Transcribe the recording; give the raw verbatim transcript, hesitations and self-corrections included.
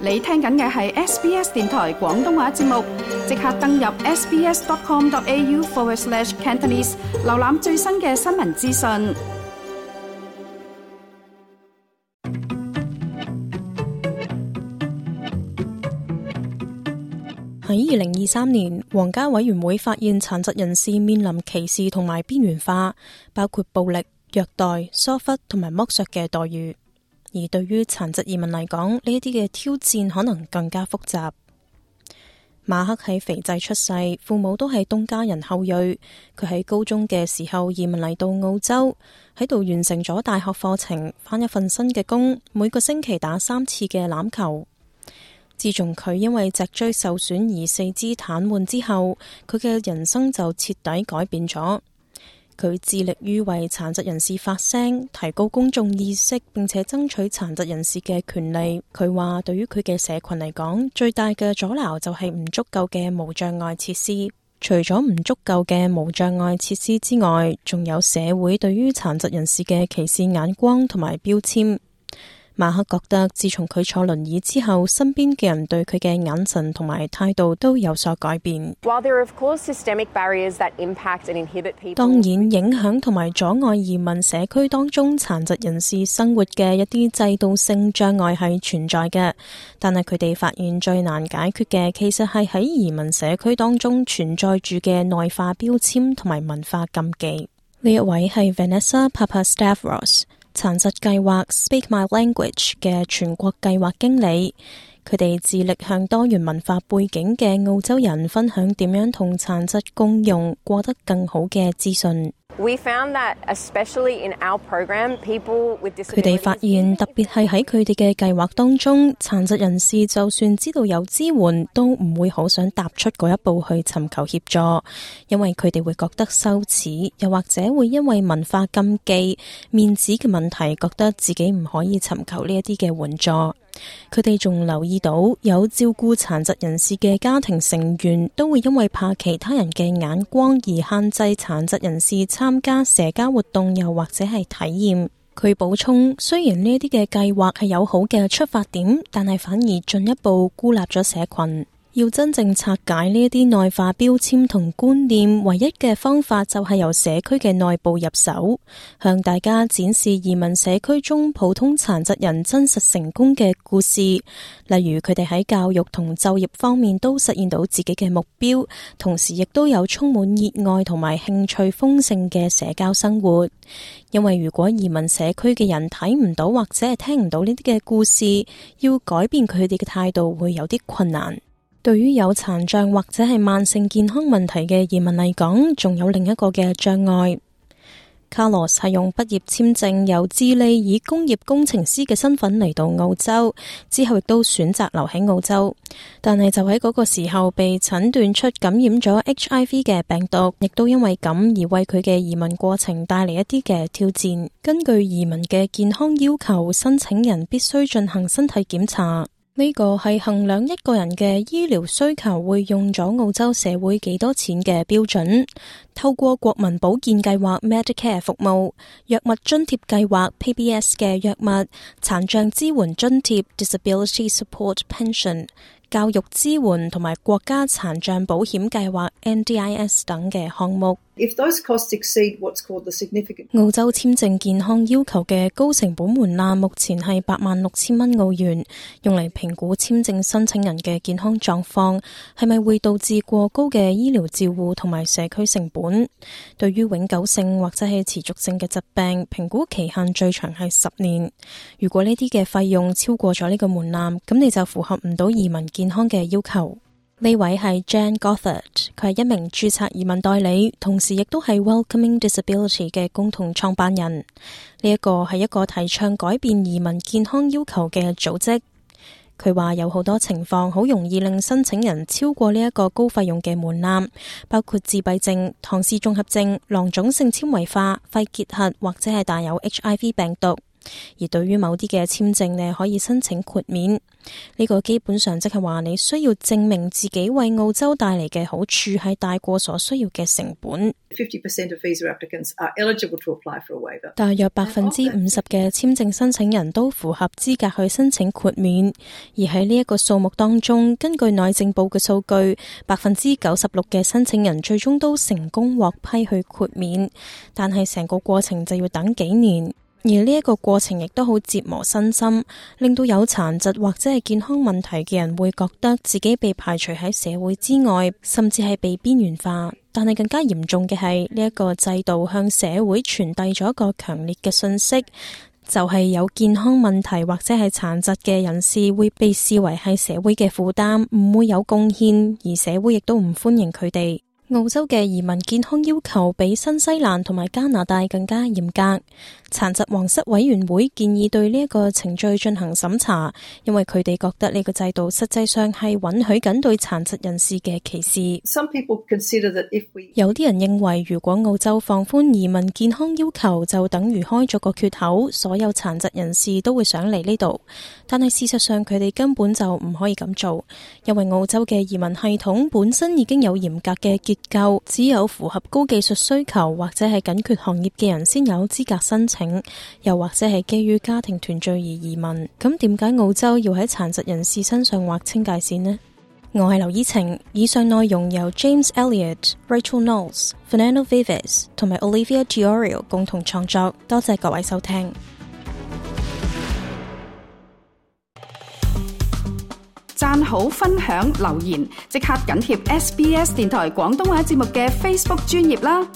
你聽緊嘅係 S B S 電台廣東話節目，即刻登入 sbs.com.au forward slash Cantonese， 瀏覽最新嘅新聞資訊。喺二零二三年，皇家委員會發現殘疾人士面臨歧視同埋邊緣化，包括暴力、虐待、疏忽同埋剝削嘅待遇。而對於殘疾移民嚟講，呢一啲嘅挑戰可能更加複雜。馬克喺斐濟出世，父母都係東家人後裔。佢喺高中嘅時候移民嚟到澳洲，喺度完成咗大學課程，返一份新嘅工，每個星期打三次嘅欖球。自從佢因為脊椎受損而四肢癱瘓之後，佢嘅人生就徹底改變咗。佢致力於為殘疾人士發聲，提高公眾意識，並且爭取殘疾人士嘅權利。佢話對於佢嘅社群嚟講，最大嘅阻撓就係唔足夠嘅無障礙設施。除咗唔足夠嘅無障礙設施之外，仲有社會對於殘疾人士嘅歧視眼光同埋標籤。馬克覺得自從佢坐輪椅之後，身邊嘅人對佢嘅眼神同埋態度都有所改變。當然，影響同埋阻礙移民社區當中殘疾人士生活嘅一啲制度性障礙係存在嘅，但係佢哋發現最難解決嘅其實係喺移民社區當中存在住嘅內化標籤同埋文化禁忌。呢一位係 Vanessa Papastavros，殘疾計劃 Speak My Language 嘅全國計劃經理，佢哋致力向多元文化背景嘅澳洲人分享點樣同殘疾共融，過得更好嘅資訊。佢哋發現，特別係喺佢哋嘅計劃當中，殘疾人士就算知道有支援，都唔會好想踏出嗰一步去尋求協助，因為佢哋會覺得羞恥，又或者會因為文化禁忌、面子嘅問題，覺得自己唔可以尋求呢一啲嘅援助。佢哋仲留意到，有照顧殘疾人士嘅家庭成員都會因為怕其他人嘅眼光而限制殘疾人士參加社交活動，又或者係體驗。佢補充，雖然呢啲嘅計劃係有好嘅出發點，但係反而進一步孤立咗社群。要真正拆解呢一啲內化標籤同觀念，唯一嘅方法就係由社區嘅內部入手，向大家展示移民社區中普通殘疾人真實成功嘅故事，例如佢哋喺教育同就業方面都實現到自己嘅目標，同時亦都有充滿熱愛同埋興趣豐盛嘅社交生活。因為如果移民社區嘅人睇唔到或者係聽唔到呢啲嘅故事，要改變佢哋嘅態度會有啲困難。對於有殘障或者係慢性健康問題嘅移民嚟講，仲有另一個嘅障礙。Carlos 係用畢業簽證由智利以工業工程師嘅身份嚟到澳洲，之後亦都選擇留喺澳洲，但係就喺嗰個時候被診斷出感染咗 H I V 嘅病毒，亦都因為咁而為佢嘅移民過程帶嚟一啲嘅挑戰。根據移民嘅健康要求，申請人必須進行身體檢查。呢個係衡量一個人嘅醫療需求會用咗澳洲社會幾多錢嘅標準。透過國民保健計劃 Medicare 服務、藥物津貼計劃 P B S 嘅藥物、殘障支援津貼 Disability Support Pension、教育支援同埋國家殘障保險計劃 N D I S 等嘅項目。If those costs exceed what's called the significant... 澳洲簽證健康要求嘅高成本門檻目前係八萬六千蚊澳元，用嚟評估簽證申請人嘅健康狀況係咪會導致過高嘅醫療照護同埋社區成本。對於永久性或者係持續性嘅疾病，評估期限最長係十年。如果呢啲嘅費用超過咗呢個門檻，咁你就符合唔到移民健康嘅要求。呢位係 Jan Gothard， 佢係一名註冊移民代理，同時亦都係 Welcoming Disability 嘅共同創辦人。呢一個係一個提倡改變移民健康要求嘅組織。佢話有好多情況好容易令申請人超過呢一個高費用嘅門檻，包括自閉症、唐氏綜合症、囊腫性纖維化、肺結核或者係帶有 H I V 病毒。而對於某啲嘅簽證呢，可以申請豁免。呢個基本上即係話你需要證明自己為澳洲帶嚟嘅好處係大過所需要嘅成本。fifty percent of visa applicants are eligible to apply for a waiver. 大約百分之五十嘅簽證申請人都符合資格去申請豁免，而喺呢一個數目當中，根據內政部嘅數據，百分之九十六嘅申請人最終都成功獲批去豁免，但係成個過程就要等幾年。而呢一個過程亦都好折磨身心，令到有殘疾或者係健康問題嘅人會覺得自己被排除喺社會之外，甚至係被邊緣化。但係更加嚴重嘅係呢一個制度向社會傳遞咗一個強烈嘅訊息，就係有健康問題或者係殘疾嘅人士會被視為係社會嘅負擔，唔會有貢獻，而社會亦都唔歡迎佢哋。澳洲嘅移民健康要求比新西蘭同埋加拿大更加嚴格。殘疾皇室委員會建議對呢一個程序進行審查，因為佢哋覺得呢個制度實際上係允許緊對殘疾人士嘅歧視。Some people consider that if we... 有啲人認為如果澳洲放寬移民健康要求，就等於開咗個缺口，所有殘疾人士都會想嚟呢度。但係事實上佢哋根本就唔可以咁做，因為澳洲嘅移民系統本身已經有嚴格嘅結構，只有符合高技術需求或者係緊缺行業嘅人先有資格申請，又或者係基於家庭團聚而移民。咁點解澳洲要喺殘疾人士身上劃清界線呢？我係劉依晴，以上內容由 James Elliott、Rachel Knowles、Fernando Vives 同埋 Olivia Giorio 共同創作。多謝各位收聽。讚好、分享、留言，即刻緊貼 S B S 電台廣東話節目嘅 Facebook 專頁啦！